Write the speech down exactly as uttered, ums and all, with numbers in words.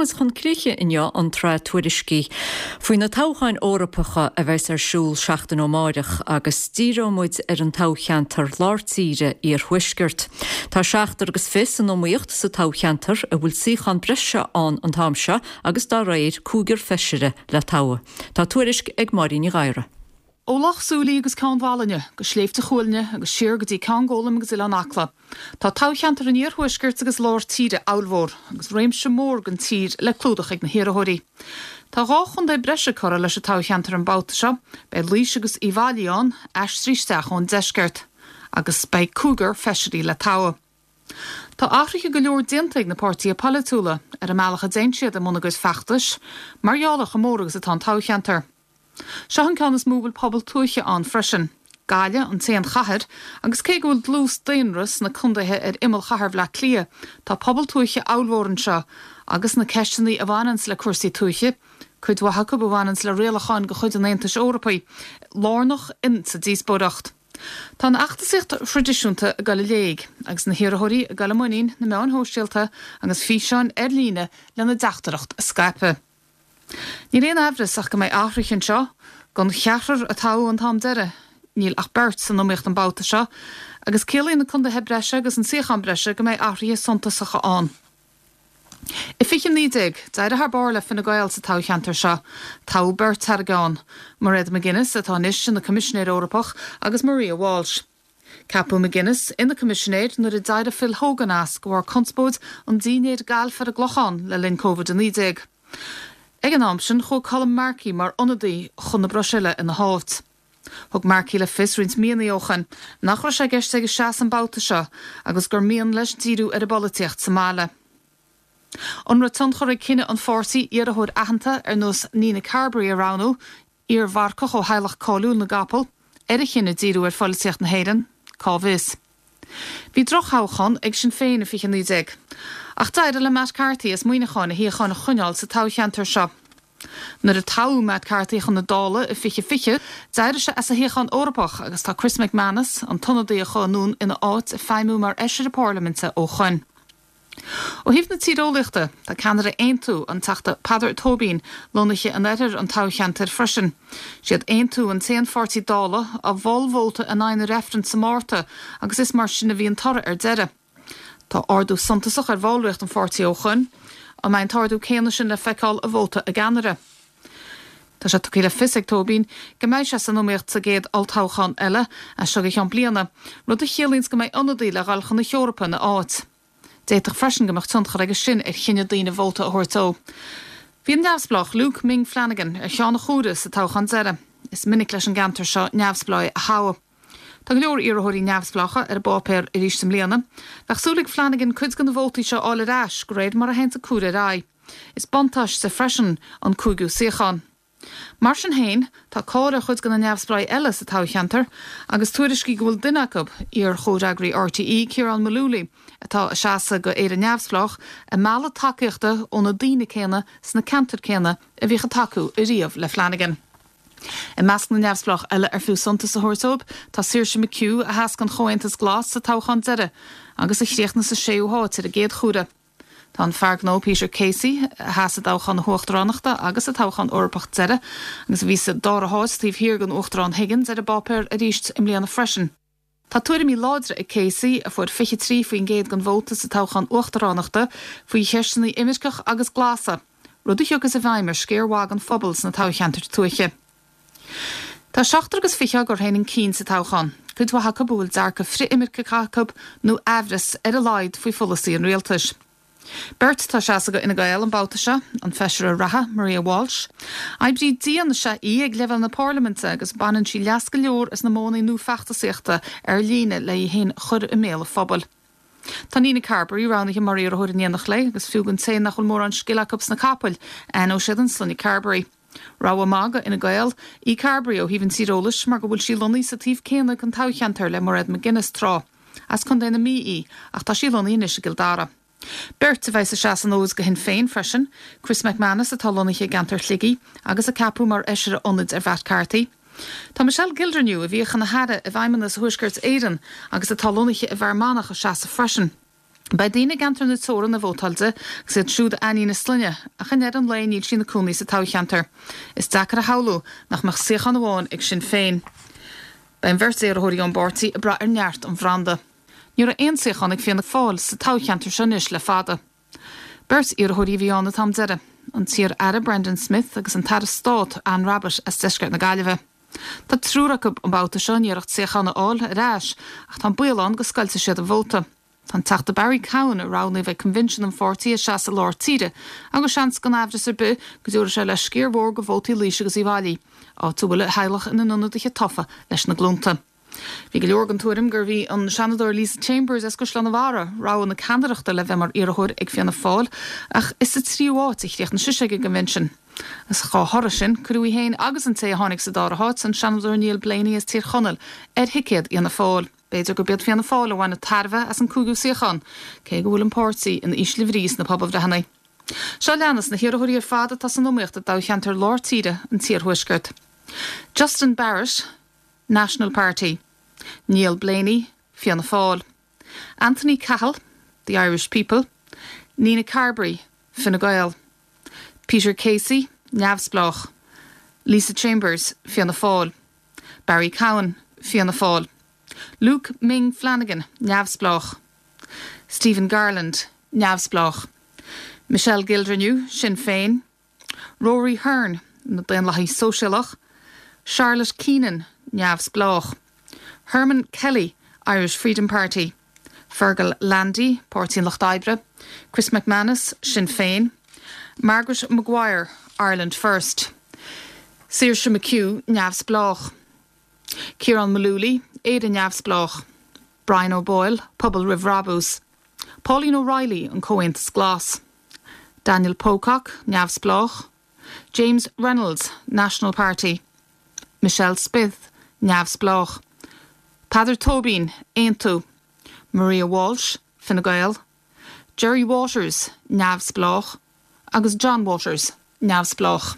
muid chun críche inniu an tsraith tuairiscí faoi na toghcháin Eorpacha a bheas ar siúl seachtain ó amárach agus díreoidh muid ar an toghcheantar lár tíre iarthuaisceart. Tá seachtar agus fiche san iomaíocht sa toghcheantar a bhfuil suíochán breise ann an t-am seo agus dá réir cúigear feisire le toghadh. Tá tuairisc ag Máirín Ní Ghadhra. Ó Loch Súilí agus Ceann Mhálanna, go Sléibhte Chuailgne agus siar go dtí Ceann Gólaim agus Oileán Acla. Tá toghcheantar an iarthuaiscirt agus lár tíre ollmhór, agus réimse mór den tír le clúdach ag na hiarrthóirí. Tá dhá chontae breise curtha leis an toghcheantar an babhta seo, beidh Laois agus Uíbh Fhailí ann, aistrithe isteach ón deisceart, agus beidh cúigear feisirí le toghadh. Tá athruithe go leor déanta ag na páirtithe polaitiúla ar an mbealach a dtéann siad i mbun a gcuid feachtais, mar gheall ar chomh mór agus atá an toghcheantar. Seo an ceann is mó a bhfuil pobal tuaithe ann freisin. Gaillimh an t-aon chathair, agus cé go bhfuil dlús daonra sna contaetha ar imeall chathair Bhaile Átha Cliath, tá pobal tuaithe ollmhór anseo, agus na ceisteanna a bhaineanns le cúrsaí tuaithe, cuid mhaith acu a bhaineanns le rialacháin de chuid an Aontais Eorpaigh, lárnach insa díospóireacht. Tá an fheachtasaíocht thraidisiúnta ag dul i léig, agus na hiarrthóirí ag dul i muinín na meáin shóisialta agus físeáin ar líne lena dteachtaireacht a scaipeadh. Níl aon amhras ach go mbeidh athruithe anseo, den cheathrar a toghadh an t-am deiridh, níl ach beirt san iomaíocht an babhta seo, agus ciallaíonn na contaetha breise agus an suíochán breise go mbeidh athruithe suntasacha ann. I fiche naoi déag, d'éirigh thar barr le Fine Gael sa toghcheantar seo. Toghadh beirt thar a gceann, Mairead McGuinness, atá anois ina Coimisinéir Eorpach, agus Maria Walsh. Ceapadh McGuinness ina Coimisinéir nuair a d'éirigh Phil Hogan as de bharr conspóid an dinnéir gailf ar an gClochán le linn Covid a naoi déag. Ag an am sin, chuaigh Colm Markey mar ionadaí chun na Bruiséile ina háit. Thug Markey le fios roinnt míonna ó shin nach raibh sé i gceist aige seasamh an babhta seo agus gur mian leis díriú ar an bpolaitíocht sa mbaile. An raibh tionchar ag cinneadh an pháirtí iarrthóir aitheanta ar nós Nina Carberry a roghnú, iar-mharcach ó theaghlach cáiliúil na gcapall, ar a chinneadh díriú ar pholaitíocht na hÉireann? Cá bhfios. Bhí drochthoghchán ag Sinn Féin i fiche naoi déag. Ach d'éirigh le Matt Carthy as Muineachán a shuíochán a choinneáil sa toghcheantar seo. Nuair a toghadh Matt Carthy chun na Dála i fiche fiche, d'éirigh sé as a shuíochán Eorpach agus tá Chris McManus, an t-ionadaí a chuaigh anonn ina áit, ag feidhmiú mar fheisire parlaiminte ó shoin. Ó thaobh na tíreolaíochta, tá ceannaire Aontú, an Teachta Peadar Tóibín, lonnaithe in oirthear an toghcheantair freisin. Siad Aontú an t-aon pháirtí Dála a mhol vóta in aghaidh na reifreann sa Márta agus is mar sin a bhí an toradh ar deireadh. Tá ardú suntasach ar bhallraíocht an pháirtí ó shoin. An mbeidh an t-ardú céanna sin le feiceáil i vóta a gceannaire? Tá sé tugtha le fios ag Tóibín go mbeidh sé san iomaíocht sa gcéad olltoghchán eile, as seo go ceann bliana, rud a chiallaíonns go mbeidh ionadaí le dhul chun na hEorpa ina áit. D'fhéadfadh freisin go mbeadh tionchar aige sin ar chinneadh daoine vóta a thabhairt dó. Bhí an neamhspleách Luke Ming Flanagan ar cheann an chuaire sa toghchán deiridh. Is minic leis an gceantar seo neamhspleáigh a thoghadh. Tá go leor iarrthóirí neamhspleácha ar an bpáipéar arís i mbliana. Bheadh súil ag Flanagan cuid de na vótaí seo a fháil ar ais de réir mar a théanns an cuaire ar aghaidh. Is buntáiste freisin an cúigiú suíochán. Mar sin féin, tá cáil ar chuid de na neamhspleáigh eile sa toghcheantar agus tuairiscí go bhfuil duine acu, iar-chomhfhreagraí RTÉ, Ciarán Mullooly, atá ag seasamh go Éire Neamhspleách, ag mealladh tacaíochta ó na daoine céanna sna ceantair céanna a bhíodh ag tacú ariamh le Flanagan. I measc na neamhspleách eile ar fiú suntas a thabhairt dóibh, tá Saoirse McHugh, a sheas don Chomhaontas Glas sa toghchán deiridh agus a chríochnaigh sa séú háit ar an gcéad chuaire. Tá an fear gnó Peter Casey, a sheas i dtoghchán na huachtaránachta agus sa toghchán Eorpach deiridh agus a bhí sa dara háit taobh thiar den Uachtarán Higgins, ar an bpáipéar arís i mbliana freisin. Tá tuairimí láidre ag Casey, a fuair fiche trí faoin gcéad den vóta sa toghchán uachtaránachta, faoi cheisteanna imirceach agus glasa, rud a thiocfas i bhfeidhm ar sciar mhaith den phobal sna toghcheantair tuaithe. Tá seachtar agus fiche á gcur féin chun cinn sa toghchán, cuid mhaith acu a bhfuil dearcadh frith-imirceach acu nó aimhreas ar a laghad faoi pholasaí an rialtais. Beirt atá ag seasamh do Fhine Gael an babhta seo, an feisire reatha, Maria Walsh. Oibrí dian is ea í ag leibhéal na parlaiminte agus baineann sí leas go leor as na modhanna nua feachtasaíochta ar líne le í féin a chur i mbéal an phobail. Tá Nina Carberry roghnaithe mar iarrthóir in éineacht léi agus fiú don té nach bhfuil mórán scil acu sna capaill, aithneoidh siad an sloinne Carberry. Rogha maith do Fhine Gael í Carberry ó thaobh an tíreolais mar go bhfuil sí lonnaithe sa taobh céanna den toghcheantar le Mairead McGuinness tráth. As Contae na Mí í ach tá sí lonnaithe anois i gCill Dara. Beirt a bheas ag seasamh an fhóid do Shinn Féin freisin, Chris McManus atá lonnaithe i gceantar Shligigh agus a ceapadh mar fheisire ionaid ar Mhatt Carthy. Tá Michelle Gildernew, a bhíodh ina haire i bhFeidhmeannas Thuaisceart Éireann agus atá lonnaithe i bhFear Manach, ag seasamh freisin. Beidh daoine i gceantar na teorann a vótáil di agus iad siúd a aithníonn a sloinne ach i ndeireadh an lae níl sí ina cónaí sa toghcheantar. Is deacair a shamhlú nach mbeadh suíochán amháin ag Sinn Féin. Beidh an bheirt iarrthóirí ón bpáirtí ag brath ar neart an bhranda. Ní raibh aon suíochán ag Fianna Fáil sa toghcheantar seo anois le fada. Beirt iarrthóirí a bhí ann an t-am deiridh, an t-iar-aire Brendan Smith agus an tAire Stáit Anne Rabbitte as deisceart na Gaillimhe. Tá triúr acu an babhta seo in iarracht suíochán a fháil ar ais ach tá an baol ann go scoiltfidh siad an vóta. Tá an Teachta Barry Cowen a roghnaíodh ag Convention an pháirtí ag seasamh i lár tíre, agus seans gan amhras ar bith go dtabharfaidh sé le sciar mhór de vótaí Laoise agus Uíbh Fhailí, áit a bhfuil a theaghlach ina n-ionadaithe tofa leis na glúnta. Bhí go leor den tuairim gurbh í an Seanadóir Lisa Chambers as Caisleán an Bharraigh rogha na ceannaireachta le bheith mar iarrthóir ag Fianna Fáil ach is sa tríú háit a chríochnaigh sise ag an gconvention. Is dá thoradh sin cuireadh í féin agus an té a tháinig sa dara háit an Seanadóir Neil Blaney as Tír Chonaill ar thicéad Fhianna Fáil. B'fhéidir gurb iad Fianna Fáil a bhainfidh tairbhe as an cúigiú suíochán, cé go bhfuil an páirtí in ísle brí sna pobalbhreitheanna. Seo leanas na hiarrthóirí ar fad atá san iomaíocht i dtoghcheantar lár tíre an t-iarthuaisceart. Justin Barrett, National Party. Neil Blaney, Fianna Fáil. Anthony Cahill, The Irish People. Nina Carberry, Fine Gael. Peter Casey, Neamhspleách. Lisa Chambers, Fianna Fáil. Barry Cowen, Fianna Fáil. Luke Ming Flanagan, Neamhspleách. Stephen Garland, Neamhspleách. Michelle Gildernew, Sinn Féin. Rory Hearne, na Daonlathaithe Sóisialach. Charlotte Keenan, Neamhspleách. Herman Kelly, Irish Freedom Party. Fergal Landy, Páirtí an Lucht Oibre. Chris McManus, Sinn Féin. Margaret Maguire, Ireland First. Saoirse McHugh, Neamhspleách. Ciarán Mullooly, Éire Neamhspleách. Brian O'Boyle, Pobal Roimh Bhrabús. Pauline O'Reilly, an Comhaontas Glas. Daniel Pocock, Neamhspleách. James Reynolds, National Party. Michelle Smith, Neamhspleách. Peadar Tóibín, Aontú. Maria Walsh, Fine Gael. Jerry Waters, Neamhspleách. Agus John Waters, Neamhspleách.